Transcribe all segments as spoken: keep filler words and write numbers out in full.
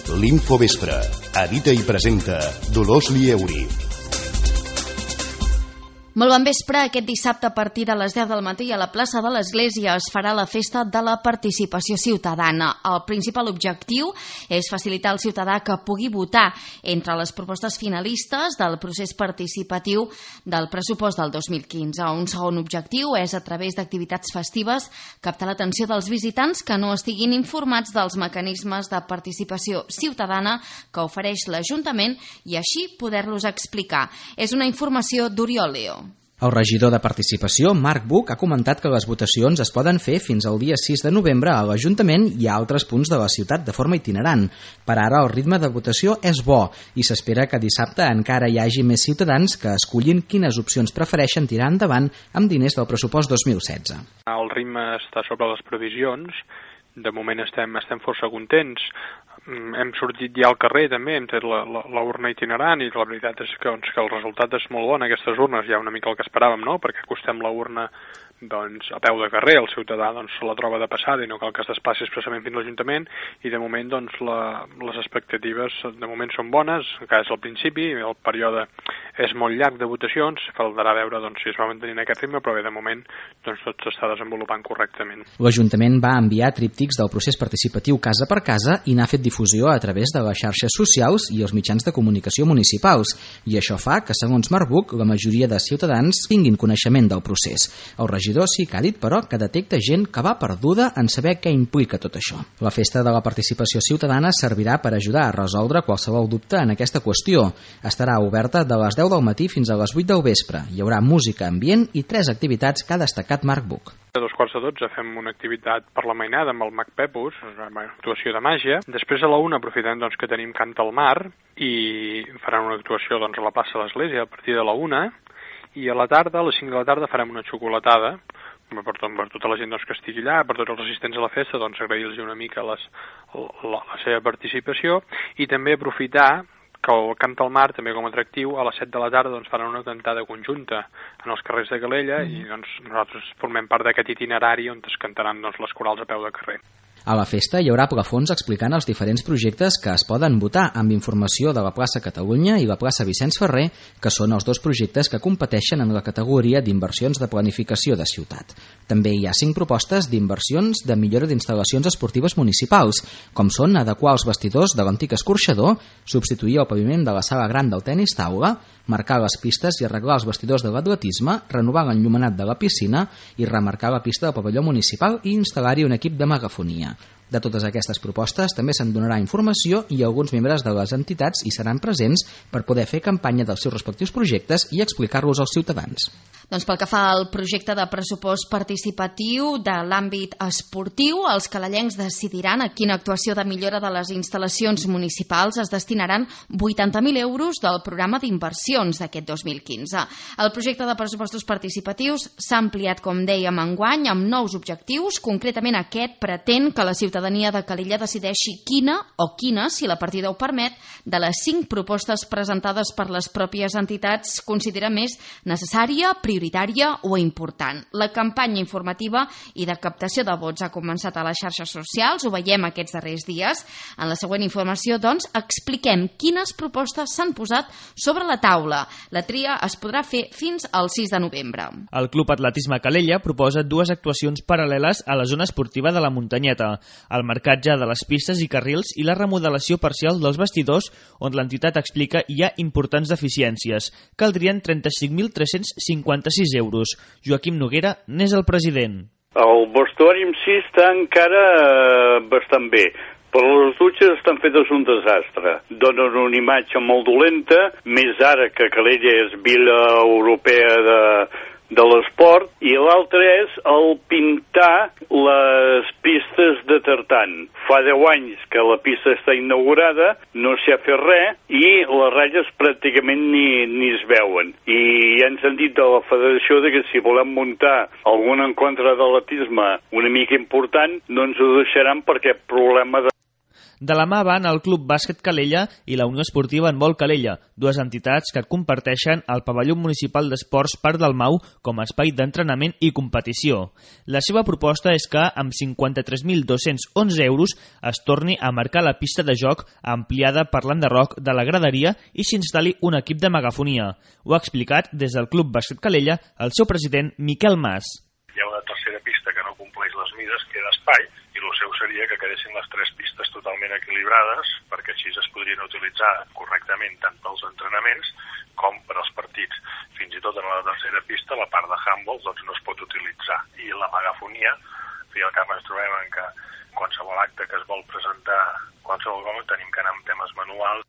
L'Infovespre. Edita i presenta Dolors Lieuri. Molt bon vespre. Aquest dissabte a partir de les deu del matí a la plaça de l'Església es farà la festa de la participació ciutadana. El principal objectiu és facilitar al ciutadà que pugui votar entre les propostes finalistes del procés participatiu del pressupost del dos mil quinze. Un segon objectiu és, a través d'activitats festives, captar l'atenció dels visitants que no estiguin informats dels mecanismes de participació ciutadana que ofereix l'Ajuntament i així poder-los explicar. És una informació d'Oriol Leo. El regidor de Participació, Marc Buch, ha comentat que les votacions es poden fer fins al dia sis de novembre a l'Ajuntament i a altres punts de la ciutat de forma itinerant. Per ara el ritme de votació és bo i s'espera que dissabte encara hi hagi més ciutadans que escollin quines opcions prefereixen tirar endavant amb diners del pressupost dos mil setze. El ritme està sobre les previsions. De moment estem, estem força contents. Hem sortit ja al carrer també, hem tret la, la, la urna itinerant i la veritat és que, doncs, que el resultat és molt bon. Aquestes urnes ja una mica el que esperàvem, no? Perquè acostem la urna doncs, a peu de carrer, el ciutadà doncs, se la troba de passada i no cal que es desplaci expressament fins a l'Ajuntament i de moment doncs, la, les expectatives de moment són bones, encara és al principi, el període és molt llarg de votacions, caldrà veure doncs, si es va mantenir aquest ritme, però bé, de moment doncs, tot s'està desenvolupant correctament. L'Ajuntament va enviar tríptics del procés participatiu casa per casa i n'ha fet difusió a través de les xarxes socials i els mitjans de comunicació municipals, i això fa que, segons Marc Buch, la majoria de ciutadans tinguin coneixement del procés. El regidor sí que ha dit, però, que detecta gent que va perduda en saber què implica tot això. La festa de la participació ciutadana servirà per ajudar a resoldre qualsevol dubte en aquesta qüestió. Estarà oberta de les deu del matí fins a les vuit del vespre. Hi haurà música ambient i tres activitats que ha destacat Marc Buch. A dos quarts de dotze fem una activitat per la mainada amb el Mag Pepus, una actuació de màgia. Després a la una aprofitem doncs, que tenim Cant al Mar i faran una actuació doncs, a la plaça de l'Església a partir de la una. I a la tarda, a les cinc de la tarda, farem una xocolatada per, tot, per tota la gent doncs, que estigui allà, per tots els assistents a la festa, doncs agrair-los una mica les, la, la seva participació i també aprofitar que el Cant al Mar, també com a atractiu, a les set de la tarda doncs, faran una cantada conjunta en els carrers de Calella mm. i doncs, nosaltres formem part d'aquest itinerari on es cantaran doncs, les corals a peu de carrer. A la festa hi haurà plafons explicant els diferents projectes que es poden votar amb informació de la plaça Catalunya i la plaça Vicenç Ferrer, que són els dos projectes que competeixen en la categoria d'inversions de planificació de ciutat. També hi ha cinc propostes d'inversions de millora d'instal·lacions esportives municipals, com són adequar els vestidors de l'antic escorxador, substituir el paviment de la sala gran del tenis taula, marcar les pistes i arreglar els vestidors de l'atletisme, renovar l'enllumenat de la piscina i remarcar la pista del pavelló municipal i instal·lar-hi un equip de megafonia. De totes aquestes propostes també se'n donarà informació i alguns membres de les entitats hi seran presents per poder fer campanya dels seus respectius projectes i explicar-los als ciutadans. Doncs pel que fa al projecte de pressupost participatiu de l'àmbit esportiu, els calellencs decidiran a quina actuació de millora de les instal·lacions municipals es destinaran vuitanta mil euros del programa d'inversions d'aquest dos mil quinze. El projecte de pressupostos participatius s'ha ampliat, com dèiem, enguany amb nous objectius. Concretament aquest pretén que la ciutadania de Calella decideixi quina o quines, si la partida ho permet, de les cinc propostes presentades per les pròpies entitats considera més necessària, prioritària o important. La campanya informativa i de captació de vots ha començat a les xarxes socials, ho veiem aquests darrers dies. En la següent informació, doncs, expliquem quines propostes s'han posat sobre la taula. La tria es podrà fer fins al sis de novembre. El Club Atletisme Calella proposa dues actuacions paral·leles a la zona esportiva de la Muntanyeta, el marcatge de les pistes i carrils i la remodelació parcial dels vestidors, on l'entitat explica hi ha importants deficiències. Caldrien trenta-cinc mil tres-cents cinquanta-sis euros. Joaquim Noguera n'és el president. El vestuari en si està encara eh, bastant bé, però les dutxes estan fetes un desastre. Donen una imatge molt dolenta, més ara que Calella és vila europea de, de l'esport, i l'altre és el pintar les pistes de tartan. Fa deu anys que la pista està inaugurada, no s'hi ha fet res i les ratlles pràcticament ni, ni es veuen. I ja ens han dit de la federació de que si volem muntar algun encontre d'atletisme una mica important no ens ho deixaran perquè problema de De la mà van el Club Bàsquet Calella i la Unió Esportiva Handbol Calella, dues entitats que comparteixen el pavelló municipal d'esports Parc del Mau com a espai d'entrenament i competició. La seva proposta és que, amb cinquanta-tres mil dos-cents onze euros, es torni a marcar la pista de joc ampliada per l'enderroc de la graderia i s'instal·li un equip de megafonia. Ho ha explicat des del Club Bàsquet Calella el seu president Miquel Mas. Hi ha una tercera pista que no compleix les mides, que era espai, i el seu seria que quedessin les tres pistes totalment equilibrades, perquè així es podrien utilitzar correctament tant pels entrenaments com per als partits. Fins i tot en la tercera pista, la part de handball doncs, no es pot utilitzar. I la megafonia, fi al cap ens trobem en que qualsevol acte que es vol presentar, qualsevol cosa, tenim que anar amb temes manuals.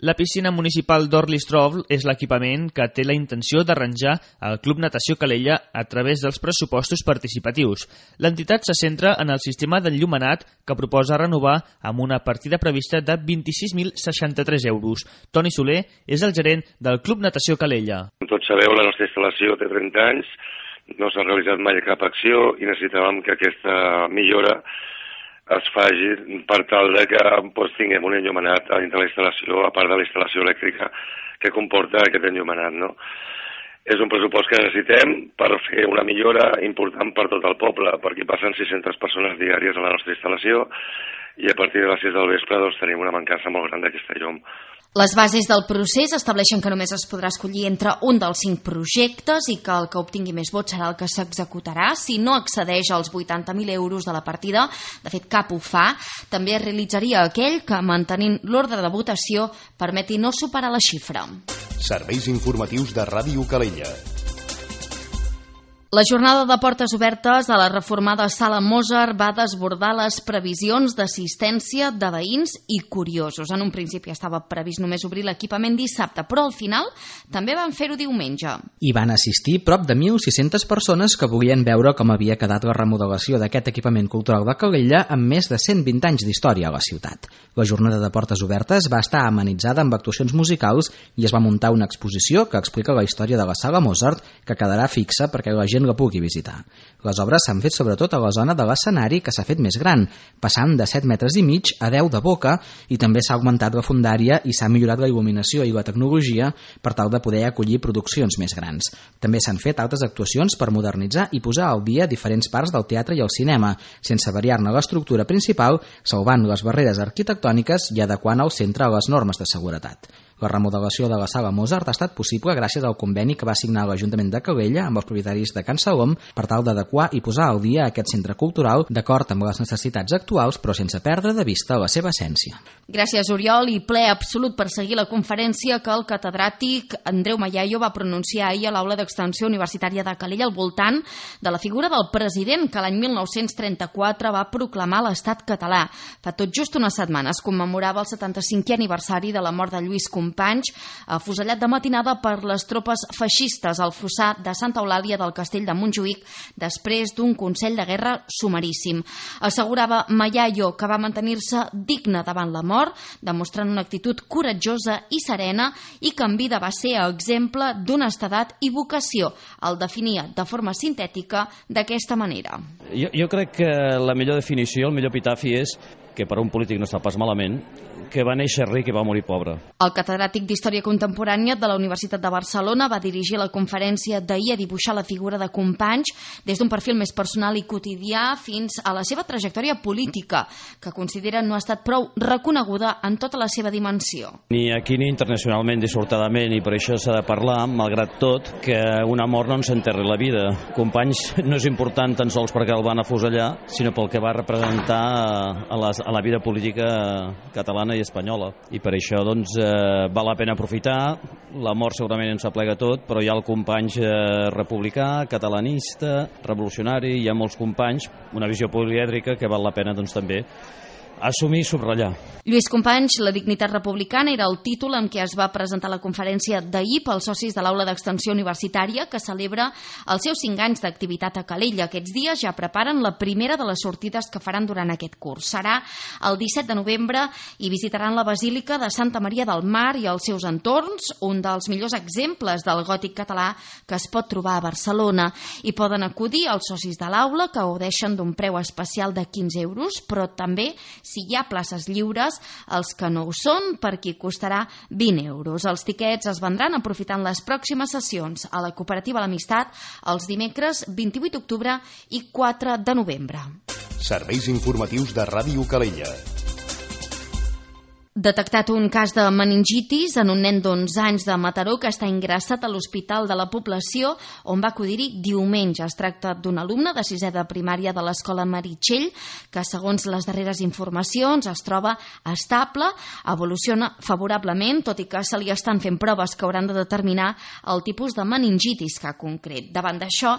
La piscina municipal d'Orlistrov és l'equipament que té la intenció d'arranjar el Club Natació Calella a través dels pressupostos participatius. L'entitat se centra en el sistema d'enllumenat que proposa renovar amb una partida prevista de vint-i-sis mil seixanta-tres euros. Toni Soler és el gerent del Club Natació Calella. Com tots sabeu, la nostra instal·lació té trenta anys, no s'ha realitzat mai cap acció i necessitàvem que aquesta millora es faci per tal de que doncs, tinguem un enllumenat a dintre la instal·lació, a part de la instal·lació elèctrica que comporta aquest enllumenat, no? És un pressupost que necessitem per fer una millora important per tot el poble, perquè passen sis-centes persones diàries a la nostra instal·lació i a partir de les sis del vespre doncs, tenim una mancança molt gran d'aquesta llum. Les bases del procés estableixen que només es podrà escollir entre un dels cinc projectes i que el que obtingui més vots serà el que s'executarà. Si no accedeix als vuitanta mil euros de la partida, de fet cap ho fa, també es realitzaria aquell que, mantenint l'ordre de votació, permeti no superar la xifra. Serveis informatius de Ràdio Calella. La jornada de portes obertes a la reformada Sala Mozart va desbordar les previsions d'assistència de veïns i curiosos. En un principi estava previst només obrir l'equipament dissabte, però al final també van fer-ho diumenge. Hi van assistir prop de mil sis-centes persones que volien veure com havia quedat la remodelació d'aquest equipament cultural de Calella amb més de cent vint anys d'història a la ciutat. La jornada de portes obertes va estar amenitzada amb actuacions musicals i es va muntar una exposició que explica la història de la Sala Mozart, que quedarà fixa perquè la gent la pugui visitar. Les obres s'han fet sobretot a la zona de l'escenari, que s'ha fet més gran, passant de set metres i mig a deu de boca, i també s'ha augmentat la fondària i s'ha millorat la il·luminació i la tecnologia per tal de poder acollir produccions més grans. També s'han fet altres actuacions per modernitzar i posar al dia diferents parts del teatre i el cinema, sense variar-ne l'estructura principal, salvant les barreres arquitectòniques i adequant el centre a les normes de seguretat. La remodelació de la Sala Mozart ha estat possible gràcies al conveni que va signar l'Ajuntament de Calella amb els propietaris de Can Salom per tal d'adequar i posar al dia aquest centre cultural d'acord amb les necessitats actuals, però sense perdre de vista la seva essència. Gràcies, Oriol, i ple absolut per seguir la conferència que el catedràtic Andreu Mayayo va pronunciar ahir a l'Aula d'Extensió Universitària de Calella al voltant de la figura del president que l'any mil nou-cents trenta-quatre va proclamar l'estat català. Fa tot just una setmana es commemorava el setanta-cinquè aniversari de la mort de Lluís Companys, afusellat de matinada per les tropes feixistes al fossar de Santa Eulàlia del Castell de Montjuïc després d'un consell de guerra sumaríssim. Assegurava Mayayo que va mantenir-se digne davant la mort, demostrant una actitud coratjosa i serena, i que en vida va ser exemple d'honestedat i vocació. El definia de forma sintètica d'aquesta manera. Jo, jo crec que la millor definició, el millor epitafi és que per a un polític no està pas malament, que va néixer ric i va morir pobre. El catedràtic d'Història Contemporània de la Universitat de Barcelona va dirigir la conferència d'ahir a dibuixar la figura de Companys des d'un perfil més personal i quotidià fins a la seva trajectòria política, que considera no ha estat prou reconeguda en tota la seva dimensió. Ni aquí ni internacionalment, dissortadament, i per això s'ha de parlar, malgrat tot, que una mort no ens enterri la vida. Companys no és important tan sols perquè el van afusellar, sinó pel que va representar a, les, a la vida política catalana i espanyola. I per això doncs, eh, val la pena aprofitar. La mort segurament ens aplega tot, però hi ha el Companys eh, republicà, catalanista, revolucionari, hi ha molts companys, una visió polièdrica que val la pena doncs, també assumir i subratllar. Lluís Companys, la dignitat republicana, era el títol amb què es va presentar la conferència d'ahir pels socis de l'Aula d'Extensió Universitària, que celebra els seus cinc anys d'activitat a Calella. Aquests dies ja preparen la primera de les sortides que faran durant aquest curs. Serà el disset de novembre i visitaran la Basílica de Santa Maria del Mar i els seus entorns, un dels millors exemples del gòtic català que es pot trobar a Barcelona. Hi poden acudir els socis de l'Aula, que gaudeixen d'un preu especial de quinze euros, però també si hi ha places lliures. Els que no ho són, per qui costarà vint euros. Els tiquets es vendran aprofitant les pròximes sessions a la cooperativa L'Amistat els dimecres vint-i-vuit d'octubre i quatre de novembre. Serveis informatius de Ràdio Calella. Detectat un cas de meningitis en un nen d'onze anys de Mataró que està ingressat a l'Hospital de la Població, on va acudir-hi diumenge. Es tracta d'un alumne de sisè de primària de l'escola Meritxell, que segons les darreres informacions es troba estable, evoluciona favorablement, tot i que se li estan fent proves que hauran de determinar el tipus de meningitis que ha concret. Davant d'això,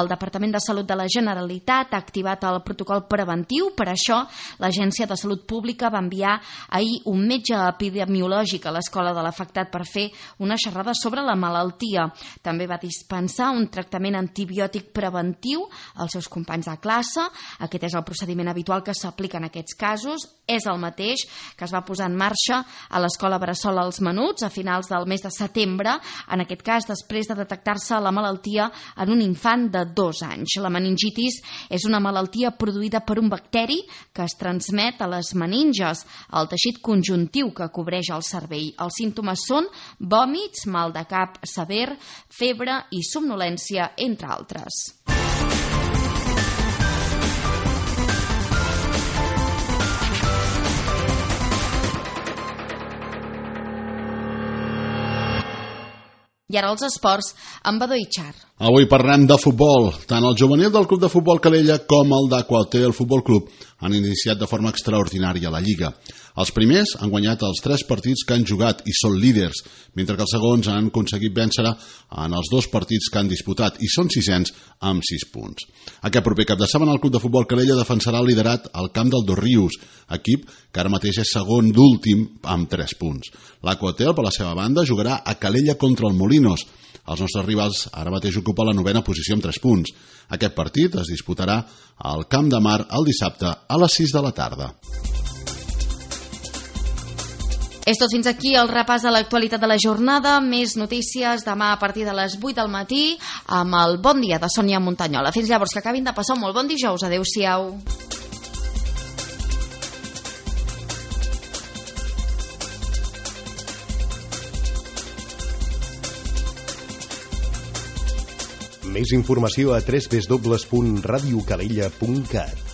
el Departament de Salut de la Generalitat ha activat el protocol preventiu. Per això, l'Agència de Salut Pública va enviar ahir un un metge epidemiològic a l'escola de l'afectat per fer una xerrada sobre la malaltia. També va dispensar un tractament antibiòtic preventiu als seus companys de classe. Aquest és el procediment habitual que s'aplica en aquests casos. És el mateix que es va posar en marxa a l'escola Bressol als Menuts a finals del mes de setembre, en aquest cas després de detectar-se la malaltia en un infant de dos anys. La meningitis és una malaltia produïda per un bacteri que es transmet a les meninges, el teixit conjuntiu que cobreix el cervell. Els símptomes són vòmits, mal de cap sever, febre i somnolència, entre altres. I ara els esports amb Badó Itxar. Avui parlem de futbol. Tant el juvenil del Club de Futbol Calella com el d'Aquahotel Futbol Club han iniciat de forma extraordinària la Lliga. Els primers han guanyat els tres partits que han jugat i són líders, mentre que els segons han aconseguit vèncer en els dos partits que han disputat i són sisens amb sis punts. Aquest proper cap de setmana el Club de Futbol Calella defensarà el liderat al camp del Dosrius, equip que ara mateix és segon d'últim amb tres punts. L'Aquahotel, per la seva banda, jugarà a Calella contra el Molinos. Els nostres rivals ara mateix ocupen la novena posició amb tres punts. Aquest partit es disputarà al Camp de Mar el dissabte a les sis de la tarda. És tot fins aquí el repàs de l'actualitat de la jornada. Més notícies demà a partir de les vuit del matí amb el Bon Dia de Sònia Montanyola. Fins llavors, que acabin de passar un molt bon dijous. Adéu-siau. Més informació a w w w punt radiocalella punt cat.